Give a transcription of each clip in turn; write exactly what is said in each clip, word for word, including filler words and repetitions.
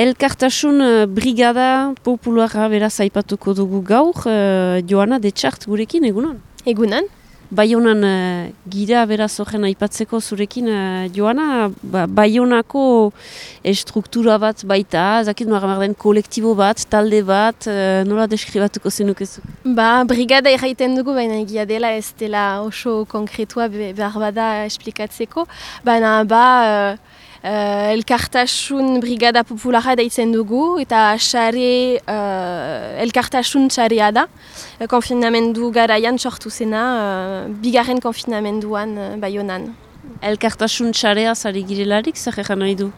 Elkartasun uh, brigada popularra beraz aipatuko dugu gaur, uh, Joana Detxart gurekin, egunon? Egunon. Baionan uh, gira beraz horren aipatzeko zurekin, uh, Joana, ba, Baionako estruktura bat baita, zakit nola den kolektibo bat, talde bat, uh, nola deskribatuko zenukezu? Ba, brigada erraiten dugu, baina egia dela ez dela oso konkretua be, behar bada esplikatzeko. Baina ba, uh, uh, elkartasun brigada populara daitzen dugu, eta xare, uh, elkartasun xarea da. Konfinamendu garaian sortu zena, uh, bigarren konfinamenduan uh, Baionan. Elkartasun xarea zari girelarik, zer egan nahi du?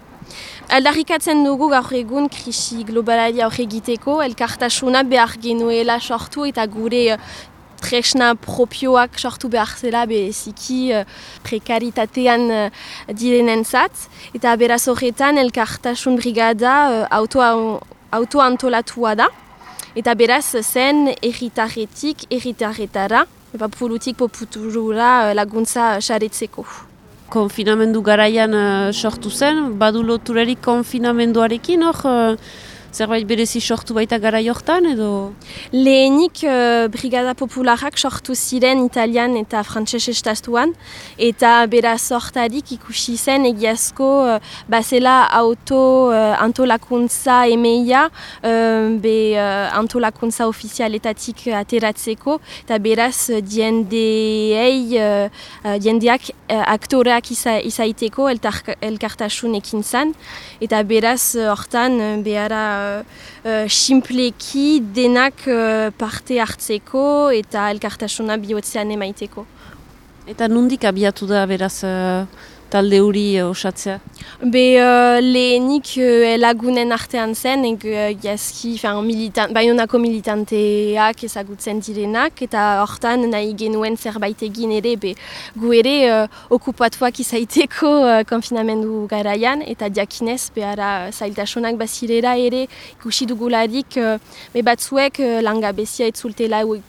Aldarrikatzen dugu gaur egun krisi globalari aurre egiteko, elkartasuna behar genuela sortu eta gure uh, tresna propioak sortu behar zela bereziki uh, prekaritatean uh, direnentzat. Eta beraz horretan elkartasun brigada uh, auto, auto antolatua da. Eta beraz zen erritarretik erritarretara, populutik populura laguntza saretzeko. Konfinamendu garaian uh, sortu zen, badu loturarik konfinamenduarekin hor, uh, zerbait berezi sortu baita garai hortan edo? Lehenik uh, brigada popularak sortu ziren italian eta frantses estatuan, eta beraz hortarik ikusi zen egiazko uh, bazela auto uh, antolakuntza emeia uh, be uh, antolakuntza ofizialetatik ateratzeko, eta beraz diendeei, uh, diendeak uh, aktoreak iza, izaiteko elkartasun ekin zan, eta beraz hortan uh, behara Uh, simpleki denak uh, parte hartzeko eta elkartasuna bihotzean emaiteko. Eta nondik abiatu da beraz uh, talde hori uh, osatzea? Be uh, lehenik uh, lagunen artean zen, egiazki uh, militan, Baionako militanteak ezagutzen direnak, eta hortan nahi genuen zerbait egin ere, be, gu ere uh, okupatuak izaiteko uh, konfinamendu garaian, eta diakinez behara zailtasunak bazirera ere ikusi dugularik, uh, be batzuek uh, langabezia etzultela uh,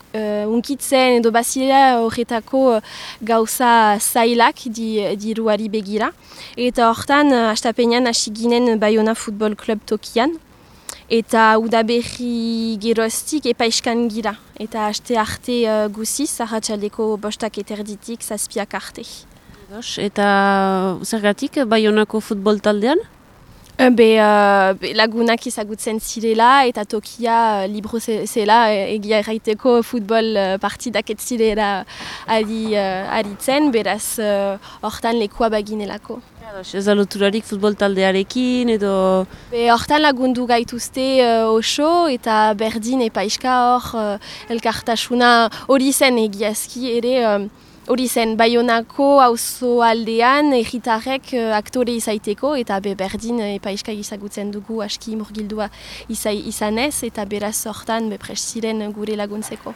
unkitzen, edo bazirera horretako uh, gauza zailak di, diruari begira. Eta hortan, hastapenean hasi ginen Baiona Futbol Club tokian, eta udaberri geroztik epaiskan gira. Eta haste arte uh, guziz, arratsaldeko bostak eterditik zazpiak arte. Eta zergatik Baionako futbol taldean? Be, uh, be lagunak ezagutzen zirela eta tokia uh, libro zela egia erraiteko futbol uh, partidak ez zirela ari, uh, aritzen, beraz hortan uh, lekua baginelako. Ez da loturarik futbol taldearekin edo? Be, hortan lagundu gaituzte uh, oso eta berdin epaiska hor uh, elkartasuna hori zen egiazki ere uh, hori zen Baionako auzo aldean erritarrek uh, aktore izaiteko eta be berdin uh, epaiska izagutzen dugu aski murgildua izai, izanez eta beraz hortan be prest ziren gure laguntzeko.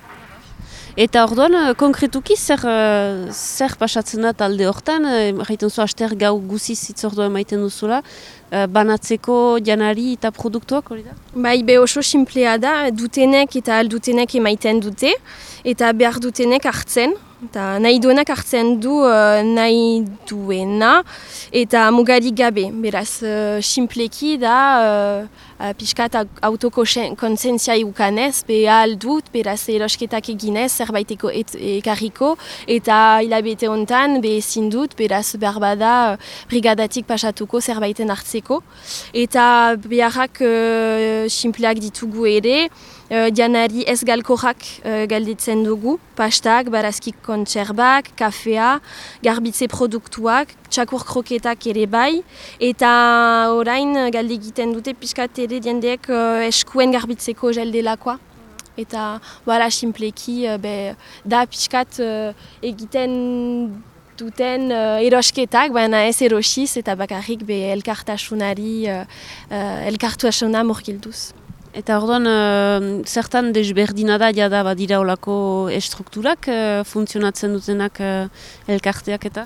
Eta orduan, konkretuki zer, uh, zer pasatzen da talde hortan, jaiten zu aster gau guziz itzordua emaiten duzula, uh, banatzeko janari eta produktuak hori da? Bai, be oso simplea da, dutenek eta aldutenek emaiten dute, eta behar dutenek hartzen, eta nahi duenak hartzen du uh, nahi duena, eta mugarik gabe, beraz, uh, simpleki da, uh, uh, pixkat autokonsentzia ukanez, be aldut, beraz, erosketak eginez, zerbaiteko ekarriko, eta hilabete hontan, be ezin dut, beraz, behar bada, brigadatik pasatuko zerbaiten hartzeko, eta beharrak uh, simpleak ditugu ere, Uh, janari ez galkorrak uh, galditzen dugu, pastak, barazki kontserbak, kafea, garbitze produktuak, txakur kroketak ere bai, eta orain uh, galdi egiten dute pixkat ere diendeek uh, eskuen garbitzeko geldelakoa. Eta bala simpleki uh, be, da pixkat uh, egiten duten uh, erosketak, baina ez erosiz eta bakarrik be elkartasunari, uh, uh, elkartasuna murgilduz. Eta orduan, uh, zertan desberdina da jada badira olako estrukturak uh, funtzionatzen dutenak uh, elkarteak eta?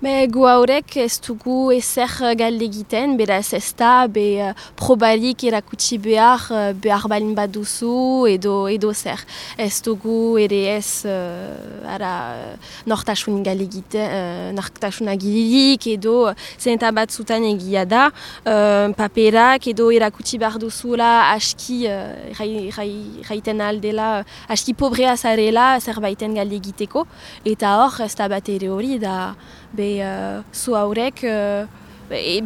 Be, gu haurek ez dugu ezer galde egiten, beraz ez da, be, uh, probarik erakutsi behar, uh, behar balin bat duzu, edo, edo zer. Ez dugu ere ez, uh, ara, uh, nortasun galde egiten, uh, nortasun agilirik, edo zenta bat zutan egia da, uh, paperak, edo erakutsi behar duzula, aski, uh, jaiten aldela, aski pobrea zarela, zerbaiten galde egiteko, eta hor ez da bat ere hori da, be, uh, zu haurek uh,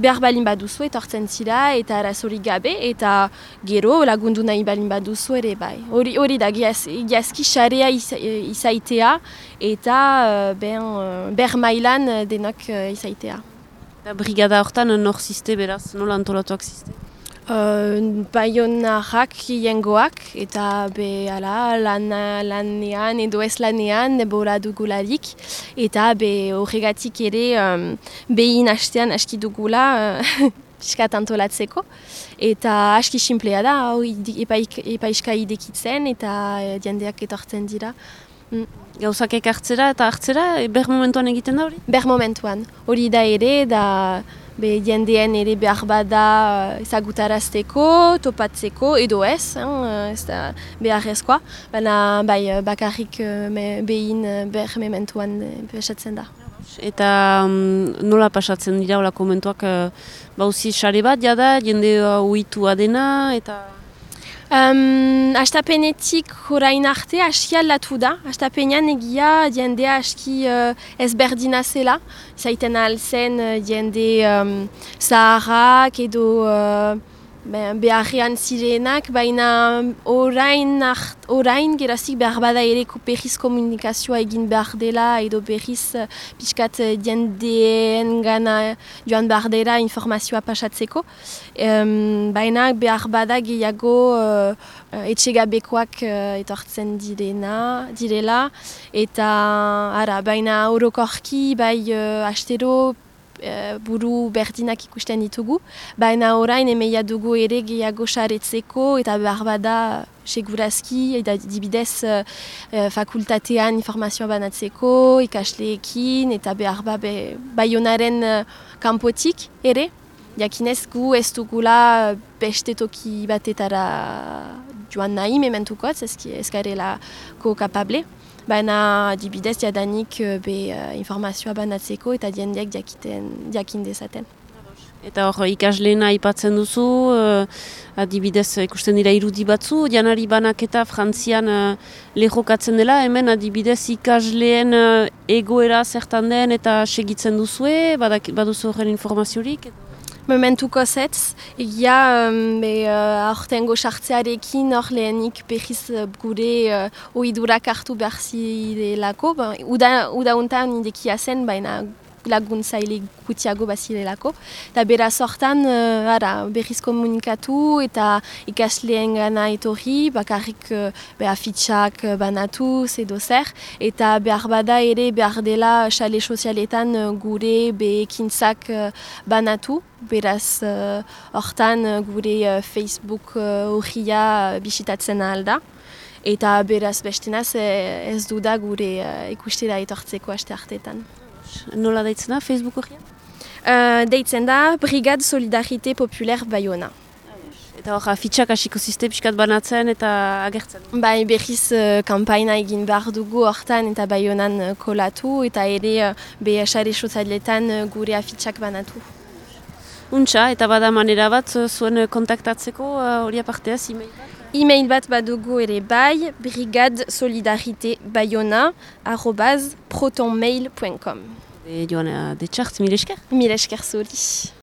behar balin baduzu etortzen zira eta arazorik gabe eta gero lagundu nahi balin baduzu ere bai. Hori, hori da giazki xarea izaitea eta uh, ben, uh, ber mailan denok uh, izaitea. Eta brigada hortan nor ziste beraz, nola antolatuak ziste? Uh, Baionarrak jengoak eta be ala, lan, lanean edo ez lanean bola dugularik eta be horregatik ere um, behin hastean aski dugula uh, piskat antolatzeko eta aski simplea da hau epaiska idekitzen eta uh, jendeak etortzen dira. Mm. Gauzak ekartzera eta hartzera, ber momentuan egiten da hori? Ber momentuan, hori da ere da be jendeen ere behar bada ezagutarazteko, topatzeko, edo ez, hein, ez da beharrezkoa, baina bai bakarrik behin behar mementuan pasatzen da. Eta um, nola pasatzen dira hola komentuak, bauzi sare bat jada, jende uitua dena, eta... Um, Astapenetik orain arte aski aldatu da. Astapenean egia jendea aski uh, ezberdina zela. Zaiten alzen uh, jende um, zaharrak edo uh, beharrean zirenak, baina orain, orain gerazik behar bada ere berriz komunikazioa egin behar dela edo berriz uh, pixkat jendeen gana joan behar dela informazioa pasatzeko. Um, baina behar bada gehiago uh, uh, etxegabekoak uh, etortzen direna, direla eta ara, baina orokorki bai uh, astero buru berdinak ikusten ditugu, baina orain emeia dugu ere gehiago saretzeko eta behar bada segurazki eta dibidez uh, fakultatean informazioa banatzeko, ikasleekin eta behar ba be, Baionaren uh, kanpotik ere. Jakinez gu ez dugula beste toki batetara joan nahi mementukotz, ez garelako kapable. Baina dibidez jadanik be uh, informazioa banatzeko eta jendeak jakiten, jakin dezaten. Eta hor ikasleena aipatzen duzu, uh, adibidez ikusten dira irudi batzu, janari banaketa Frantzian uh, lehokatzen dela, hemen adibidez ikasleen uh, egoera zertan den eta segitzen duzue, baduzu horren informaziorik? Momentuko zetz, egia um, aurtengo sartzearekin hor lehenik behiz gure uh, ohidurak hartu behar zirelako. Uda, uda untan idekia zen, baina laguntzaile gutiago bazirelako. Eta beraz hortan uh, ara, berriz komunikatu eta ikasleen gana etorri, bakarrik uh, afitxak banatuz edo zer. Eta behar bada ere behar dela xale sozialetan uh, gure behekintzak uh, banatu. Beraz hortan uh, gure uh, Facebook horria uh, bisitatzen alda. Eta beraz bestenaz eh, ez du da gure uh, ikustera etortzeko aste hartetan. Nola deitzen da Facebook horria? Uh, deitzen da Brigade Solidarité Populaire Baiona. Eta hor, afitxak hasiko ziste pixkat banatzen eta agertzen? Bai, berriz uh, kampaina egin behar dugu hortan eta Baionan uh, kolatu eta ere uh, be sare sozialetan uh, gure afitxak banatu. Untxa, eta bada manera bat zuen kontaktatzeko hori uh, aparteaz, e-mail bat? E-mail bat badugu ere bai, brigade solidarité baiona arobaz protonmail point com. E, Joana, detxart, mil esker? Mil esker zuri.